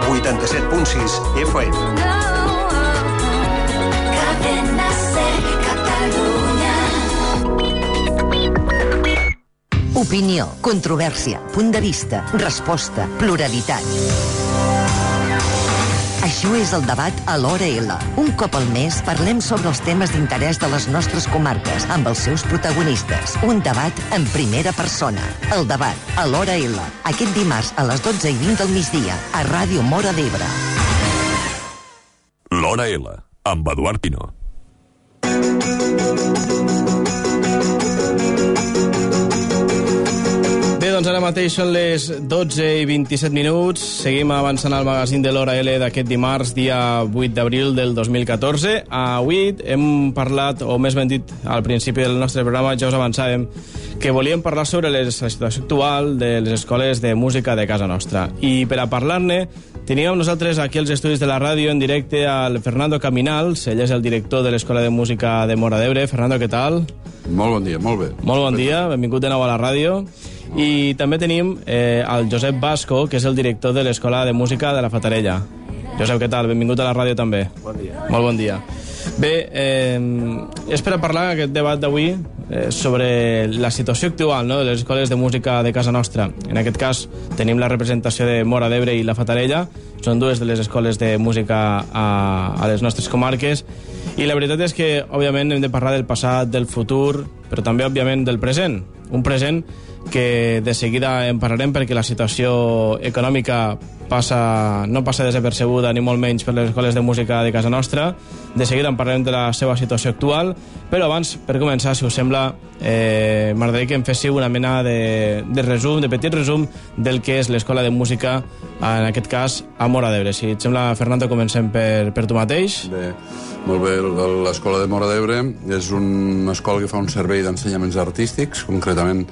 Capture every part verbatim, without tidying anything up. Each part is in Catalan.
vuitanta-set punt sis F M. Opinió, controvèrsia, punt de vista, resposta, pluralitat. Això és el debat a l'Hora L. Un cop al mes parlem sobre els temes d'interès de les nostres comarques amb els seus protagonistes. Un debat en primera persona. El debat a l'Hora L. Aquest dimarts a les dotze i vint del migdia a Ràdio Móra d'Ebre. L'Hora L, amb Eduard Pino. Bé, doncs ara mateix són les dotze i vint-i-set minuts. Seguim avançant al magazín de l'Hora L d'aquest dimarts, dia vuit d'abril del dos mil catorze. Avui hem parlat, o més ben dit, al principi del nostre programa ja us avançàvem que volíem parlar sobre les, la situació actual de les escoles de música de casa nostra. I per a parlar-ne teníem nosaltres aquí als estudis de la ràdio en directe al Fernando Caminals. Ell és el director de l'Escola de Música de Móra d'Ebre. Fernando, què tal? Molt bon dia, molt bé. Molt bon dia, benvingut de nou a la ràdio. I també tenim eh, el Josep Vasco, que és el director de l'Escola de Música de la Fatarella. Josep, què tal? Benvingut a la ràdio també. Bon dia. Molt bon dia. Bé, eh, és per a parlar en aquest debat d'avui eh, sobre la situació actual, no?, de les escoles de música de casa nostra. En aquest cas tenim la representació de Móra d'Ebre i la Fatarella. Són dues de les escoles de música a, a les nostres comarques. I la veritat és que, òbviament, hem de parlar del passat, del futur, però també, òbviament, del present. Un present que de seguida en parlarem perquè la situació econòmica passa, no passa desapercebuda ni molt menys per les escoles de música de casa nostra. De seguida en parlarem de la seva situació actual, però abans, per començar, si us sembla, eh, m'agradaria que em féssiu una mena de, de resum, de petit resum del que és l'Escola de Música, en aquest cas, a Móra d'Ebre. Si et sembla, Fernando, comencem per, per tu mateix. Bé, molt bé. L'Escola de Móra d'Ebre és una escola que fa un servei d'ensenyaments artístics, concretament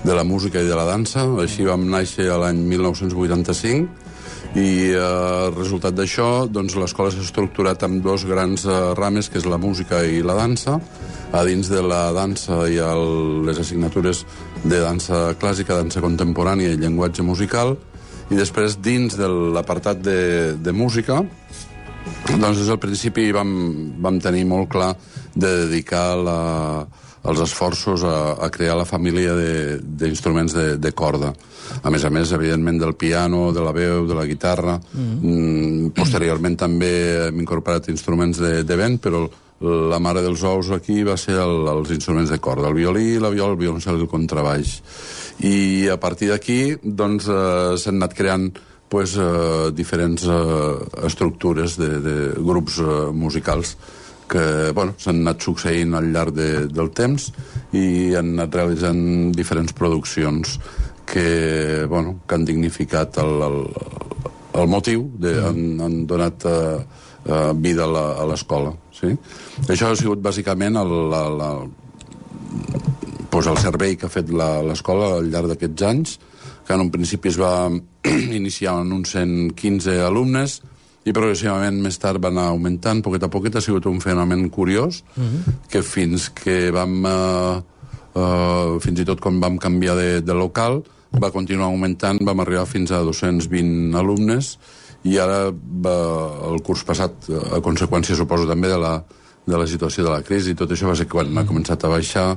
de la música i de la dansa. Així vam néixer l'any mil nou-cents vuitanta-cinc i eh, el resultat d'això, doncs l'escola s'ha estructurat amb dos grans eh, rames, que és la música i la dansa. A dins de la dansa hi ha el, les assignatures de dansa clàssica, dansa contemporània i llenguatge musical, i després dins de l'apartat de, de música, doncs des del principi vam, vam tenir molt clar de dedicar la els esforços a, a crear la família d'instruments de, de, de corda. A més a més, evidentment, del piano, de la veu, de la guitarra. Mm-hmm. Posteriorment també hem incorporat instruments de, de vent, però la mare dels ous aquí va ser el, els instruments de corda, el violí, la viola, el violoncel i el contrabaix. I a partir d'aquí doncs, eh, s'han anat creant pues, eh, diferents eh, estructures de, de grups eh, musicals que bueno, s'han anat succeint al llarg de, del temps i han anat realitzant diferents produccions que, bueno, que han dignificat el, el, el motiu, de, mm. han, han donat uh, uh, vida a l'escola. Sí? Això ha sigut bàsicament el, la, la, pues el servei que ha fet l'escola al llarg d'aquests anys, que en un principi es va iniciar en uns cent quinze alumnes, i progressivament més tard va anar augmentant, poquet a poquet. Ha sigut un fenomen curiós, uh-huh. que fins que vam, uh, uh, fins i tot quan vam canviar de, de local, va continuar augmentant, vam arribar fins a dos-cents vint alumnes, i ara va, el curs passat, a conseqüència, suposo, també de la, de la situació de la crisi, tot això va ser quan uh-huh. ha començat a baixar,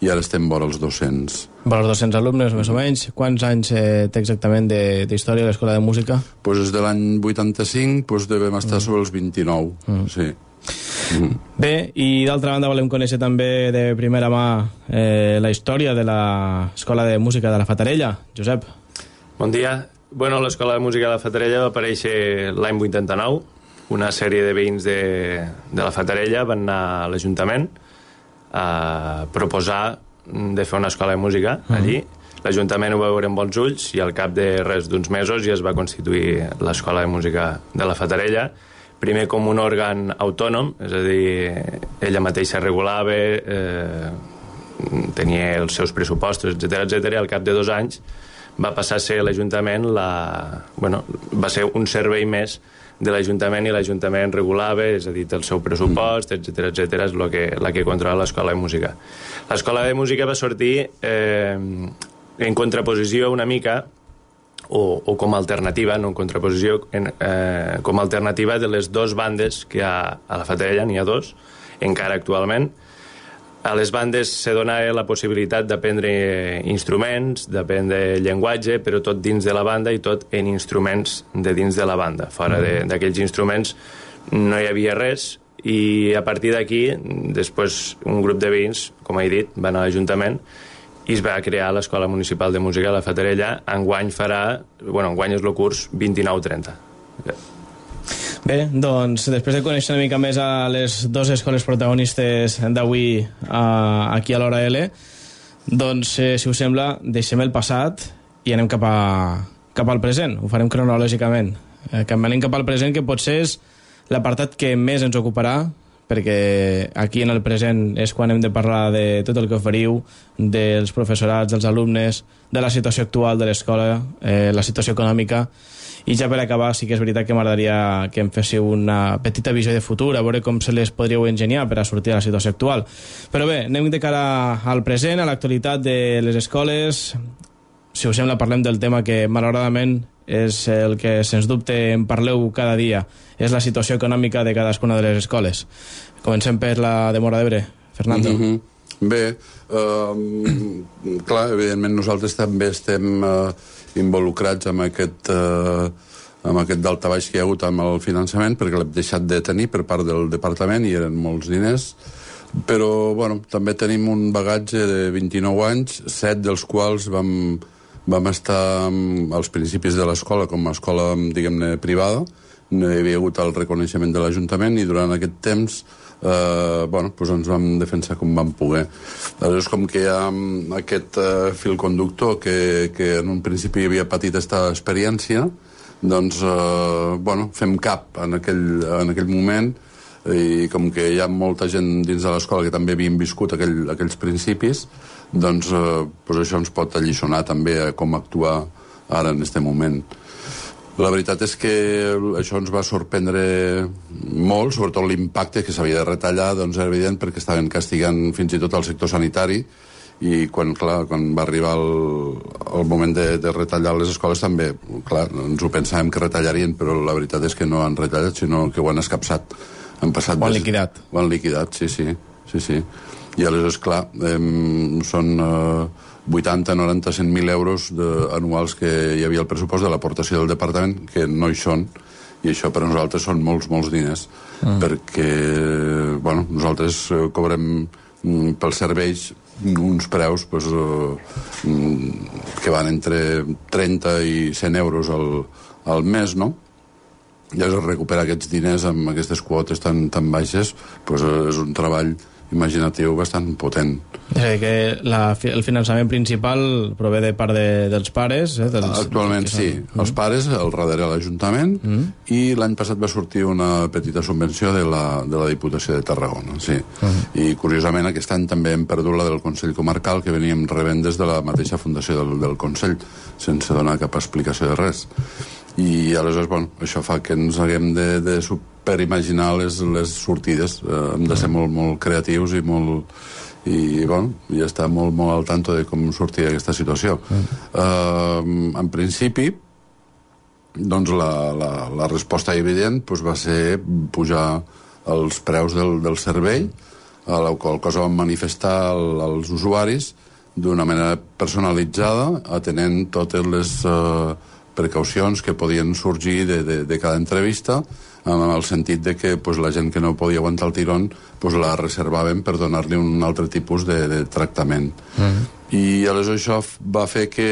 i ara estem vora els dos-cents. Vora els dos-cents alumnes, més o menys. Quants anys eh, té exactament d'història de l'Escola de Música? Pues des de l'any vuitanta-cinc pues devem estar mm. sobre els vint-i-nou, mm. sí. Mm. Bé, i d'altra banda volem conèixer també de primera mà eh, la història de l'Escola de Música de la Fatarella. Josep. Bon dia. Bueno, l'Escola de Música de la Fatarella va aparèixer l'any vuitanta-nou. Una sèrie de veïns de, de la Fatarella van anar a l'Ajuntament a proposar de fer una escola de música allí. Uh-huh. L'Ajuntament ho va veure amb bons ulls i al cap de res d'uns mesos ja es va constituir l'Escola de Música de la Fatarella, primer com un òrgan autònom, és a dir, ella mateixa regulava, eh, tenia els seus pressupostos, etcètera, etcètera, i al cap de dos anys va passar a ser l'Ajuntament, la, bueno, va ser un servei més de l'Ajuntament, i l'Ajuntament regulava, és a dir, el seu pressupost, etcètera, etcètera, és la que, la que controla l'Escola de Música. L'Escola de Música va sortir eh, en contraposició una mica o, o com a alternativa, no en contraposició, en, eh, com a alternativa de les dues bandes que hi ha a la Fatarella, n'hi ha dos, encara actualment. A les bandes se dona la possibilitat d'aprendre instruments, d'aprendre llenguatge, però tot dins de la banda i tot en instruments de dins de la banda. Fora mm. d'aquells instruments no hi havia res, i a partir d'aquí, després un grup de veïns, com he dit, van a l'Ajuntament i es va crear l'Escola Municipal de Música de la Fatarella. Enguany farà, bueno, enguany és el curs vint-i-nou trenta. Bé, doncs, després de conèixer una mica més a les dues escoles protagonistes d'avui uh, aquí a l'Hora L, doncs, eh, si us sembla, deixem el passat i anem cap, a, cap al present. Ho farem cronològicament. Eh, que anem cap al present, que potser és l'apartat que més ens ocuparà, perquè aquí en el present és quan hem de parlar de tot el que oferiu, dels professorats, dels alumnes, de la situació actual de l'escola, eh, la situació econòmica. I ja per acabar, sí que és veritat que m'agradaria que em féssiu una petita visió de futur, a veure com se les podríeu ingeniar per a sortir de la situació actual. Però bé, anem de cara al present, a l'actualitat de les escoles. Si us sembla, parlem del tema que, malauradament, és el que, sens dubte, en parleu cada dia. És la situació econòmica de cadascuna de les escoles. Comencem per la de Móra d'Ebre. Fernando. Mm-hmm. Bé, eh, clar, evidentment nosaltres també estem eh, involucrats amb aquest, eh, amb aquest daltabaix que hi ha hagut amb el finançament, perquè l'hem deixat de tenir per part del departament i eren molts diners, però bueno, també tenim un bagatge de vint-i-nou anys, set dels quals vam, vam estar als principis de l'escola com a escola, diguem-ne, privada. No hi havia hagut el reconeixement de l'Ajuntament i durant aquest temps eh, bueno, doncs ens vam defensar com vam poder. Aleshores, com que hi ha aquest eh, fil conductor que, que en un principi havia patit aquesta experiència, doncs eh, bueno, fem cap en aquell, en aquell moment, i com que hi ha molta gent dins de l'escola que també havien viscut aquell, aquells principis, doncs, eh, doncs això ens pot alliçonar també a com actuar ara en aquest moment. La veritat és que això ens va sorprendre molt, sobretot l'impacte que s'havia de retallar, doncs era evident perquè estaven castigant fins i tot el sector sanitari, i quan, clar, quan va arribar el, el moment de, de retallar les escoles també, clar, ens ho pensàvem que retallarien, però la veritat és que no han retallat, sinó que ho han escapçat. Han passat ho han liquidat. Ho han liquidat, sí, sí. sí, sí. I aleshores, clar, eh, són eh, vuitanta, noranta, cent mil euros de, anuals que hi havia al pressupost de l'aportació del departament, que no hi són, i això per a nosaltres són molts, molts diners, mm. perquè, bueno, nosaltres eh, cobrem mm, pels serveis uns preus pues, eh, que van entre trenta i cent euros al, al mes, no? I és recuperar aquests diners amb aquestes quotes tan, tan baixes, pues, eh, és un treball imaginatiu bastant potent. És a dir, que la, el finançament principal prové de part de, dels pares? Eh, dels, Actualment dels sí. Mm. Els pares, el darrere l'Ajuntament, mm. i l'any passat va sortir una petita subvenció de la, de la Diputació de Tarragona, sí. Mm. I curiosament aquest any també hem perdut la del Consell Comarcal, que veníem rebent des de la mateixa fundació del, del Consell, sense donar cap explicació de res. I aleshores, bueno, això fa que ens haguem de, de superimaginar les, les sortides. Eh, hem de ser molt, molt creatius i molt... i, bueno, i estar molt, molt al tanto de com sortir aquesta situació. Mm. Eh, en principi, doncs la, la, la resposta evident doncs, va ser pujar els preus del, del servei, a la qual cosa vam manifestar el, als usuaris d'una manera personalitzada, atenent totes les... Eh, precaucions que podien sorgir de, de, de cada entrevista, en el sentit de que pues, la gent que no podia aguantar el tirón pues, la reservaven per donar-li un altre tipus de, de tractament. Mm. I aleshores això va fer que,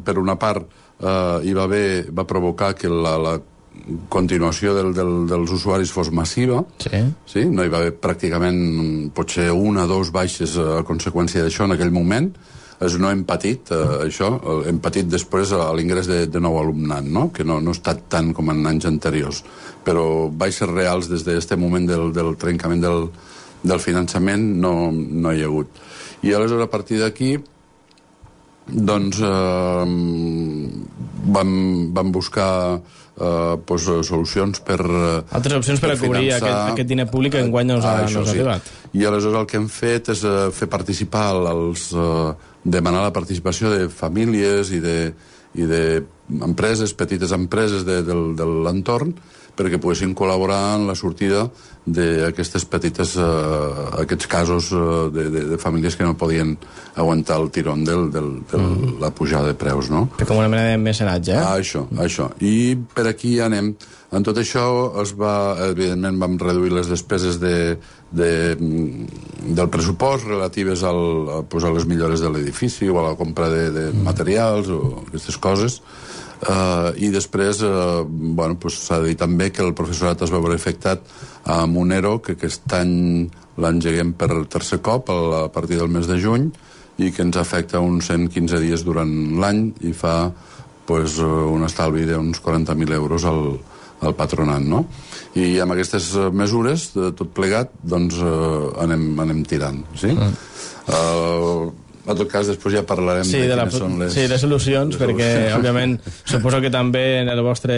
per una part, eh, hi va, haver, va provocar que la, la continuació del, del, dels usuaris fos massiva. Sí. Sí? No hi va haver pràcticament potser una o dos baixes a conseqüència d'això en aquell moment. És no hem patit, eh, això, hem patit després a l'ingrés de, de nou alumnat, no? Que no, no ha estat tant com en anys anteriors, però baixes reals des d'aquest moment del, del trencament del, del finançament no, no hi ha hagut. I aleshores a partir d'aquí doncs eh, vam, vam buscar eh, pues, solucions per... Altres opcions per, per a cobrir finançar... aquest, aquest diner públic que enguany no us ha, ah, no us ha sí. arribat. I aleshores el que hem fet és uh, fer participar els... Uh, demanar la participació de famílies i de, i d'empreses, petites empreses de, de, de l'entorn, perquè poguessin col·laborar en la sortida d'aquestes petites, uh, aquests casos uh, de, de, de famílies que no podien aguantar el tirón de mm. la pujada de preus, no? Com una mena de mecenatge, eh? Ah, això, això. I per aquí anem. En tot això es va, evidentment vam reduir les despeses de, de, del pressupost relatives al, a, pues, a les millores de l'edifici o a la compra de, de materials o aquestes coses. Uh, i després uh, bueno, pues, s'ha de dir també que el professorat es va veure afectat amb un ERO que aquest any l'engeguem per tercer cop a partir del mes de juny i que ens afecta uns cent quinze dies durant l'any i fa pues, un estalvi d'uns quaranta mil euros al, al patronat, no? I amb aquestes mesures, de tot plegat, doncs uh, anem, anem tirant, sí? Mm. Uh, En tot cas, després ja parlarem sí, de, de quines la, són les... Sí, de solucions, les perquè, solucions. Òbviament, suposo que també en el vostre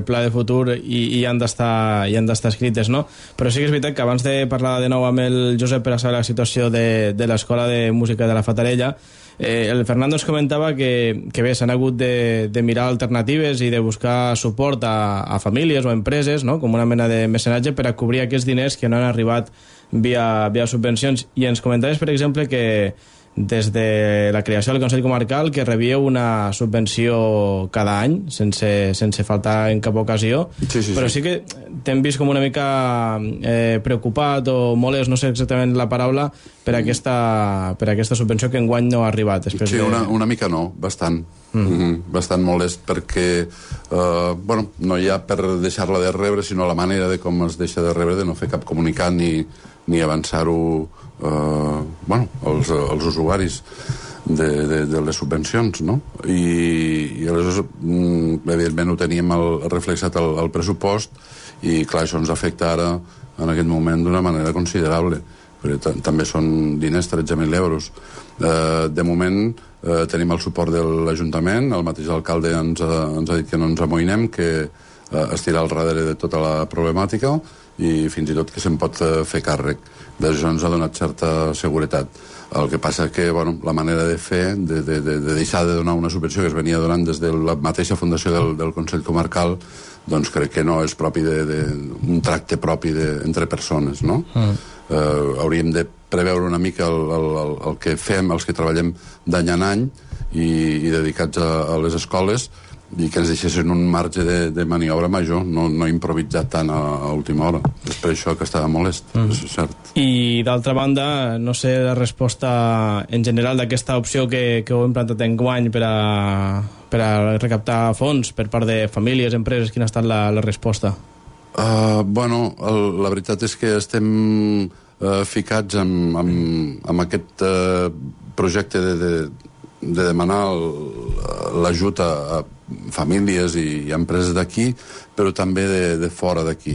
pla de futur hi, hi han d'estar hi han d'estar escrites, no? Però sí que és veritat que abans de parlar de nou amb el Josep per a saber la situació de, de l'Escola de Música de la Fatarella, eh, el Fernando ens comentava que, que bé, s'han hagut de, de mirar alternatives i de buscar suport a, a famílies o a empreses, no? Com una mena de mecenatge per a cobrir aquests diners que no han arribat via, via subvencions. I ens comentaves, per exemple, que des de la creació del Consell Comarcal que rebieu una subvenció cada any sense, sense faltar en cap ocasió, sí, sí, però sí que t'hem vist com una mica eh, preocupat o molest, no sé exactament la paraula, per aquesta, per aquesta subvenció que enguany no ha arribat. Sí, de... una, una mica no, bastant. Mm. Mm-hmm, bastant molest perquè eh, bueno, no hi ha per deixar-la de rebre, sinó la manera de com es deixa de rebre, de no fer cap comunicat ni, ni avançar-ho Uh, bueno, els, els usuaris de, de, de les subvencions, no? I, i aleshores mm, evidentment ho teníem el, reflexat al, al pressupost i clar, això ens afecta ara en aquest moment d'una manera considerable perquè també són diners, tretze mil euros. Uh, de moment uh, tenim el suport de l'Ajuntament, el mateix alcalde ens ha, ens ha dit que no ens amoïnem, que uh, es tira al darrere de tota la problemàtica i fins i tot que se'n pot uh, fer càrrec. D'això ens ha donat certa seguretat. El que passa que bueno, la manera de fer, de, de, de, de deixar de donar una subvenció que es venia donant des de la mateixa fundació del, del Consell Comarcal, doncs crec que no és propi de, de, un tracte propi de, entre persones, no? Mm. Uh, hauríem de preveure una mica el, el, el, el que fem, els que treballem d'any en any i, i dedicats a, a les escoles, i que ens deixessin un marge de, de maniobra major, no, no improvisar tant a, a última hora. És per això que estava molest, mm. és cert. I d'altra banda, no sé la resposta en general d'aquesta opció que, que heu implantat en guany per a, per a recaptar fons per part de famílies, empreses, quina ha estat la, la resposta? Uh, bueno, el, la veritat és que estem uh, ficats amb, amb, amb aquest uh, projecte de, de, de demanar l'ajut a, a famílies i, i empreses d'aquí, però també de, de fora d'aquí.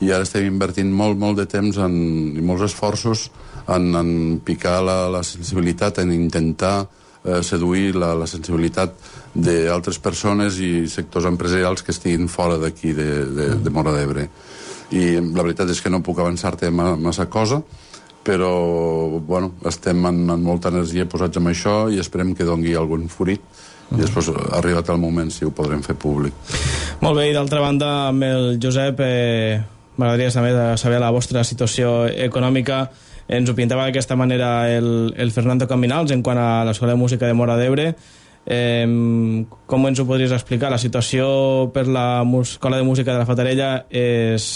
I ara estem invertint molt, molt de temps en, i molts esforços en, en picar la, la sensibilitat, en intentar eh, seduir la, la sensibilitat d'altres persones i sectors empresarials que estiguin fora d'aquí, de, de, de Móra d'Ebre. I la veritat és que no puc avançar-te massa cosa, però bueno, estem en, en molta energia posats en això i esperem que dongui algun fruit i després ha arribat el moment si ho podrem fer públic. Molt bé, i d'altra banda amb el Josep eh, m'agradaria saber, saber la vostra situació econòmica. Ens ho pintava d'aquesta manera el, el Fernando Caminals en quant a l'Escola de Música de Móra d'Ebre. Eh, com ens ho podries explicar? La situació per l'Escola de Música de la Fatarella és...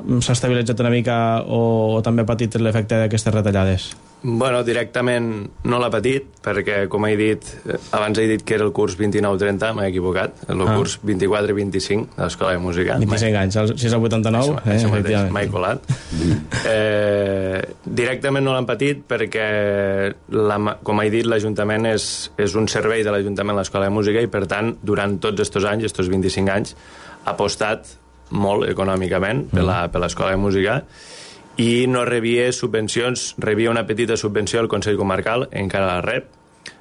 s'ha estabilitzat una mica o, o també ha patit l'efecte d'aquestes retallades? Bueno, directament no l'ha patit, perquè, com he dit, abans he dit que era el curs vint-i-nou trenta, m'he equivocat, el ah. curs vint-i-quatre vinti-cinc de l'Escola de Música. vint-i-cinc anys, si és el vuitanta-nou, això, eh, això mateix, m'he colat. eh, directament no l'han patit perquè, la, com he dit, l'Ajuntament és, és un servei de l'Ajuntament l'Escola de Música i, per tant, durant tots estos anys, estos vint-i-cinc anys, ha apostat molt econòmicament per l'Escola de Música i no rebia subvencions, rebia una petita subvenció al Consell Comarcal, encara la rep.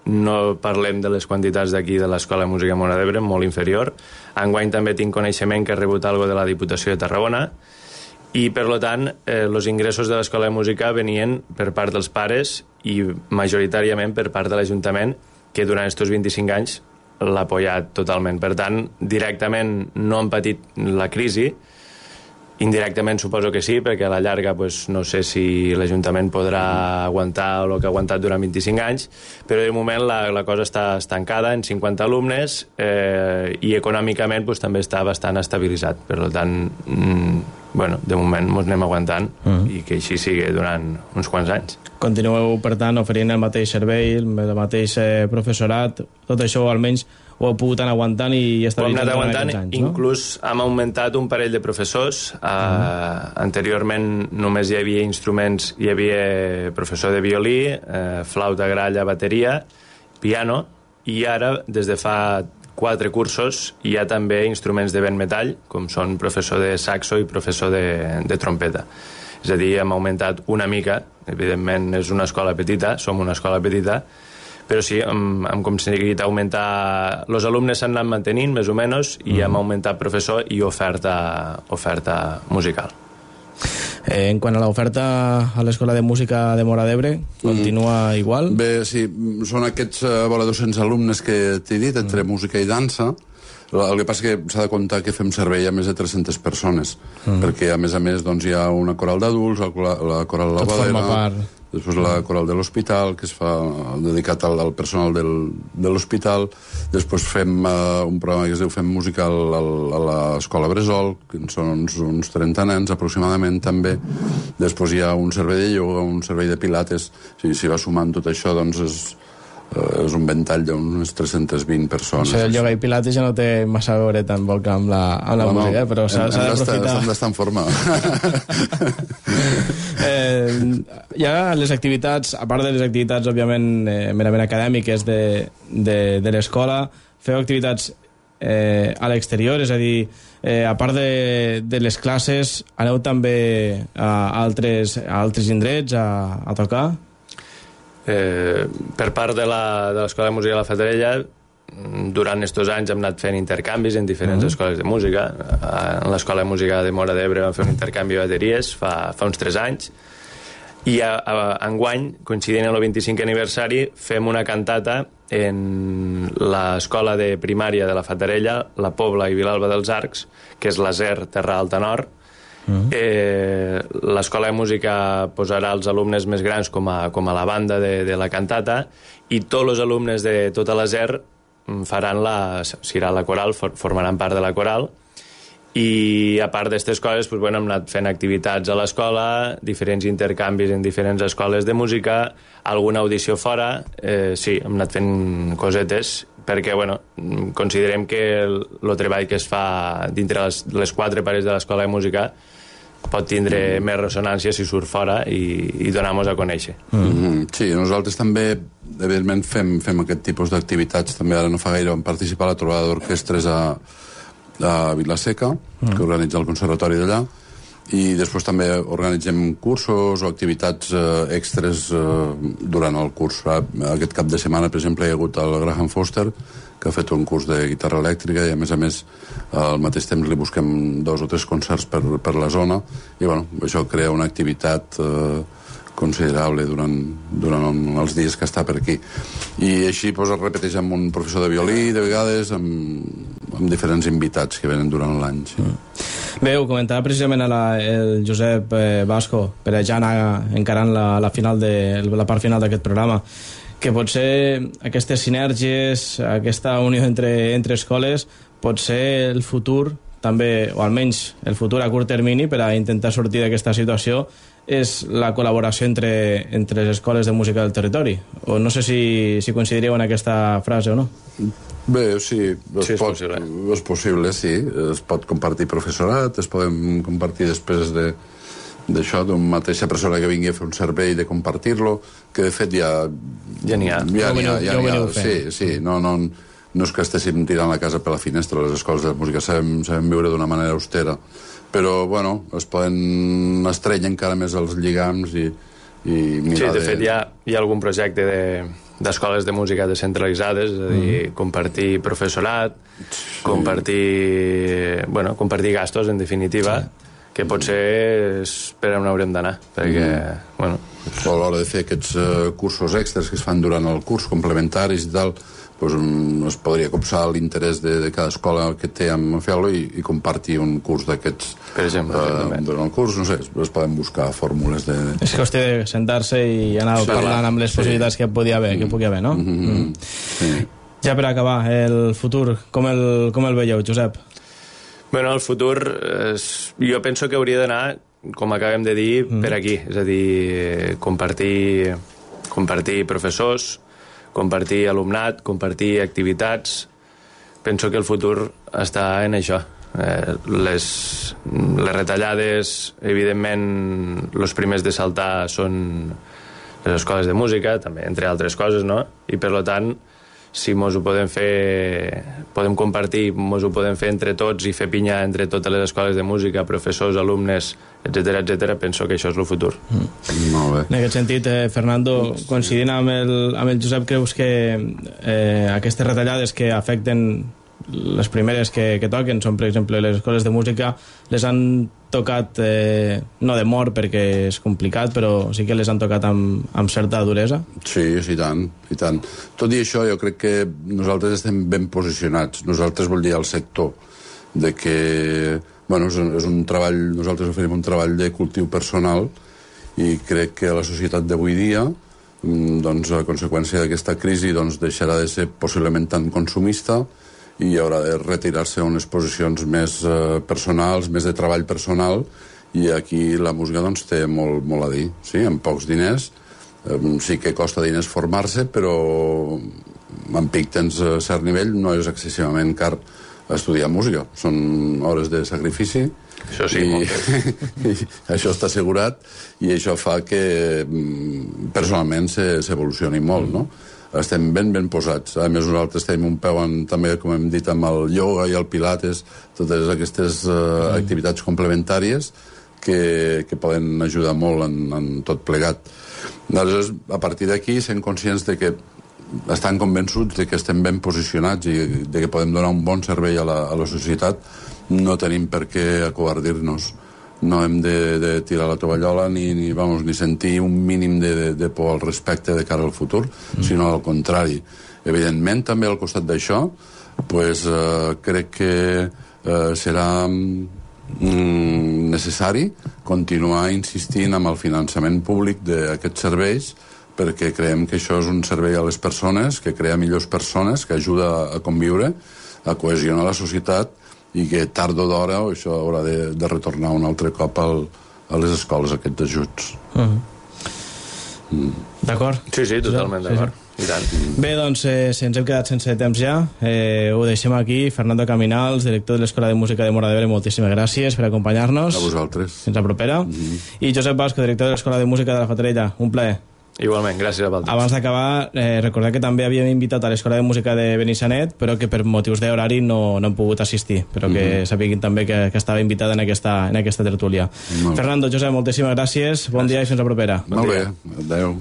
No parlem de les quantitats d'aquí de l'Escola de Música Móra d'Ebre, molt inferior. Enguany també tinc coneixement que he rebut alguna de la Diputació de Tarragona i, per tant, eh, els ingressos de l'Escola de Música venien per part dels pares i majoritàriament per part de l'Ajuntament, que durant aquests vint-i-cinc anys l'ha apoyat totalment. Per tant, directament no han patit la crisi, indirectament suposo que sí, perquè a la llarga pues, no sé si l'Ajuntament podrà aguantar el que ha aguantat durant vint-i-cinc anys, però de moment la, la cosa està estancada en cinquanta alumnes eh, i econòmicament pues, també està bastant estabilitzat. Per tant, mm, bueno, de moment ens anem aguantant uh-huh. i que així sigui durant uns quants anys. Continueu, per tant, oferint el mateix servei, el mateix eh, professorat, tot això almenys ho heu pogut anar aguantant i estabilitzant durant aquests anys, no? Inclús hem augmentat un parell de professors. Uh, uh-huh. Anteriorment només hi havia instruments, hi havia professor de violí, eh, flauta, gralla, bateria, piano, i ara, des de fa quatre cursos, hi ha també instruments de vent metall, com són professor de saxo i professor de, de trompeta. És a dir, hem augmentat una mica, evidentment és una escola petita, som una escola petita, però sí, hem, hem aconseguit augmentar... Els alumnes s'han anat mantenint, més o menys, i mm. hem augmentat professor i oferta, oferta musical. Eh, en quant a l'oferta a l'Escola de Música de Móra d'Ebre, continua mm. igual? Bé, sí, són aquests uh, vora dos-cents alumnes que t'he dit, entre mm. música i dansa. El que passa que s'ha de comptar que fem servei a més de tres-centes persones, mm. perquè a més a més doncs, hi ha una coral d'adults, la, la coral de la Badera, després la coral de l'hospital, que es fa dedicat al, al personal del, de l'hospital, després fem uh, un programa que es diu Fem Música al, al, a l'Escola Bressol, que són uns, uns trenta nens aproximadament també, després hi ha un servei de ioga, un servei de pilates, si, si va sumant tot això doncs és... Uh, és un ventall d'unes tres-centes vint persones. Això del ioga i pilates ja no té massa a veure tampoc amb la, amb la no, música, però s'ha d'aprofitar... Hem d'estar en forma. eh, hi ha les activitats, a part de les activitats, òbviament, eh, merament acadèmiques de, de, de l'escola, feu activitats eh, a l'exterior, és a dir, eh, a part de, de les classes, aneu també a altres, a altres indrets a, a tocar? Eh, per part de l'Escola de Música de la Fatarella, durant aquests anys hem anat fent intercanvis en diferents uh-huh. escoles de música. En l'Escola de Música de Móra d'Ebre vam fer un intercanvi de bateries fa, fa uns tres anys, i a, a, enguany, coincidint amb el vint-i-cinquè aniversari, fem una cantata en l'escola de primària de la Fatarella, la Pobla i Vilalba dels Arcs, que és l'Aser Terra Alta Nord. Uh-huh. eh, l'escola de música posarà els alumnes més grans com a, com a la banda de, de la cantata, i tots els alumnes de tota la Z E R faran la, serà la coral, for, formaran part de la coral, i a part d'aquestes coses pues, bueno, hem anat fent activitats a l'escola, diferents intercanvis en diferents escoles de música, alguna audició fora, eh, sí, hem anat fent cosetes, perquè bueno, considerem que el, el treball que es fa dintre les, les quatre parets de l'escola de música pot tindre mm. més ressonància si surt fora i, i donar-nos a conèixer. Mm -hmm. Sí, nosaltres també evidentment fem, fem aquest tipus d'activitats. També ara no fa gaire vam participar a la trobada d'orquestres a, a Vilaseca, mm. que organitza el Conservatori d'allà, i després també organitzem cursos o activitats eh, extres eh, durant el curs. Aquest cap de setmana, per exemple, hi ha hagut el Graham Foster, que ha fet un curs de guitarra elèctrica, i a més a més al mateix temps li busquem dos o tres concerts per, per la zona, i bueno, això crea una activitat eh, considerable durant, durant els dies que està per aquí. I així pues, es repeteix amb un professor de violí, de vegades, amb, amb diferents invitats que venen durant l'any. Sí. Bé, ho comentava precisament a la, el Josep eh, Basco, per ja anar encarant la, la, final de, la part final d'aquest programa, que potser aquestes sinergies, aquesta unió entre, entre escoles, pot ser el futur, també, o almenys el futur a curt termini, per a intentar sortir d'aquesta situació, és la col·laboració entre, entre les escoles de música del territori. O no sé si, si coincidiríeu en aquesta frase o no. Bé, sí, es, sí, és pot, possible. És possible, sí. Es pot compartir professorat, es poden compartir després de d'això, d'una mateixa persona que vingui a fer un servei, de compartir-lo, que de fet ja... Ja n'hi ha. Ja n'hi ha, ja n'hi ha. Sí, sí, no, no, no és que estéssim tirant la casa per la finestra, les escoles de música sabem, sabem viure d'una manera austera, però, bueno, es poden estrènyer encara més els lligams i, i mirar... Sí, de fet, hi ha, hi ha algun projecte de, d'escoles de música descentralitzades, és a dir, mm. compartir professorat, sí. compartir... Bueno, compartir gastos, en definitiva, sí. que potser és per on haurem d'anar, perquè, mm. bueno... O a l'hora de fer aquests uh, cursos extras que es fan durant el curs, complementaris i tal, pues, es podria copsar l'interès de, de cada escola que té amb fer-lo i, i compartir un curs d'aquests. Per exemple, eh, durant el curs, no sé, es poden buscar fórmules de... És qüestió de sentar-se i anar sí, parlant amb les sí. possibilitats que pugui haver, que pugui haver, no? Mm-hmm. Mm. Sí. Ja per acabar, el futur, com el, com el veieu, Josep? Bueno, el futur, és, jo penso que hauria d'anar, com acabem de dir, mm. per aquí. És a dir, compartir, compartir professors, compartir alumnat, compartir activitats. Penso que el futur està en això. Eh, les, les retallades, evidentment, els primers de saltar són les escoles de música, també, entre altres coses, no? I, per tant, si mos ho podem fer, podem compartir, mos ho podem fer entre tots i fer pinya entre totes les escoles de música, professors, alumnes, etcètera, etcètera, penso que això és el futur. Mm. Molt bé. En aquest sentit, eh, Fernando, coincidint amb el, amb el Josep, creus que eh, aquestes retallades que afecten les primeres que, que toquen són, per exemple, les escoles de música, les han tocat, eh, no de mort perquè és complicat, però sí que les han tocat amb, amb certa duresa? Sí, sí, tant, i tant. Tot i això, jo crec que nosaltres estem ben posicionats. Nosaltres vol dir al sector, de que, bueno, és un, és un treball, nosaltres oferim un treball de cultiu personal i crec que la societat d'avui dia, doncs, a conseqüència d'aquesta crisi, doncs, deixarà de ser possiblement tan consumista i haurà de retirar-se a unes posicions més eh, personals, més de treball personal, i aquí la música doncs, té molt, molt a dir. Sí, amb pocs diners, eh, sí que costa diners formar-se, però amb pic tens a cert nivell, no és excessivament car estudiar música. Són hores de sacrifici, això sí, i, i això està assegurat, i això fa que personalment s'evolucioni molt, no? Estem ben ben posats. A més, nosaltres tenim un peu en, també, com hem dit, amb el ioga i el pilates, totes aquestes uh, mm. activitats complementàries que, que poden ajudar molt en, en tot plegat. Aleshores, a partir d'aquí, sent conscients de que estan convençuts de que estem ben posicionats i de que podem donar un bon servei a la, a la societat, no tenim per què acovardir-nos. No hem de, de tirar la tovallola ni, ni, vamos, ni sentir un mínim de, de, de por al respecte de cara al futur, mm. sinó al contrari. Evidentment, també al costat d'això, pues, eh, crec que eh, serà mm, necessari continuar insistint amb el finançament públic d'aquests serveis, perquè creiem que això és un servei a les persones, que crea millors persones, que ajuda a conviure, a cohesionar la societat, i que tard o d'hora això haurà de, de retornar un altre cop al, a les escoles aquests ajuts. Uh-huh. mm. D'acord? Sí, sí, totalment d'acord. Sí, sí. I tant. Bé, doncs, eh, si ens hem quedat sense temps ja, eh, ho deixem aquí. Fernando Caminals, director de l'Escola de Música de Móra d'Ebre, moltíssimes gràcies per acompanyar-nos. A vosaltres. Fins la propera. Mm-hmm. I Josep Basco, director de l'Escola de Música de la Fatarella. Un plaer. Igualment, gràcies a vosaltres. Abans d'acabar, eh, recordar que també havíem invitat a l'Escola de Música de Benissanet, però que per motius d'horari no, no han pogut assistir, però que mm-hmm. sapiguin també que, que estava invitada en aquesta, en aquesta tertúlia. Fernando, Josep, moltíssimes gràcies, bon gràcies. dia i fins la propera. Bon Molt bé, adeu.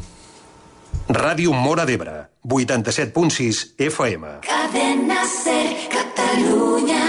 Ràdio Móra d'Ebre, vuitanta-set punt sis F M. Cadena Ser, Catalunya.